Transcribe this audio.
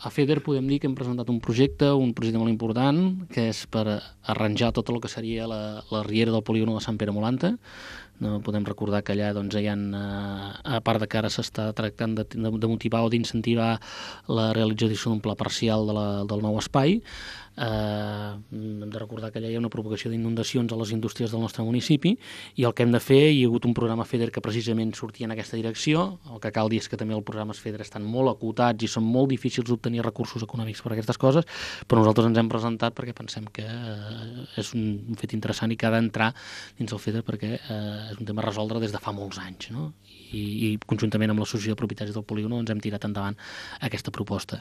a FEDER podem dir que hem presentat un projecte molt important, que és per arranjar tot el que seria la riera del polígon de Sant Pere Molanta. No podem recordar que allà doncs, hi ha, a part de que ara s'està tractant de motivar o d'incentivar la realització d'un pla parcial del nou espai. Hem de recordar que allà hi ha una propagació d'inundacions a les indústries del nostre municipi i el que hem de fer, hi ha hagut un programa FEDER que precisament sortia en aquesta direcció. El que cal dir és que també els programes FEDER estan molt acotats i són molt difícils d'obtenir recursos econòmics per a aquestes coses, però nosaltres ens hem presentat perquè pensem que és un fet interessant i que ha d'entrar dins el FEDER perquè és un tema a resoldre des de fa molts anys, no? I conjuntament amb l'associació de propietaris del polígon ens hem tirat endavant aquesta proposta.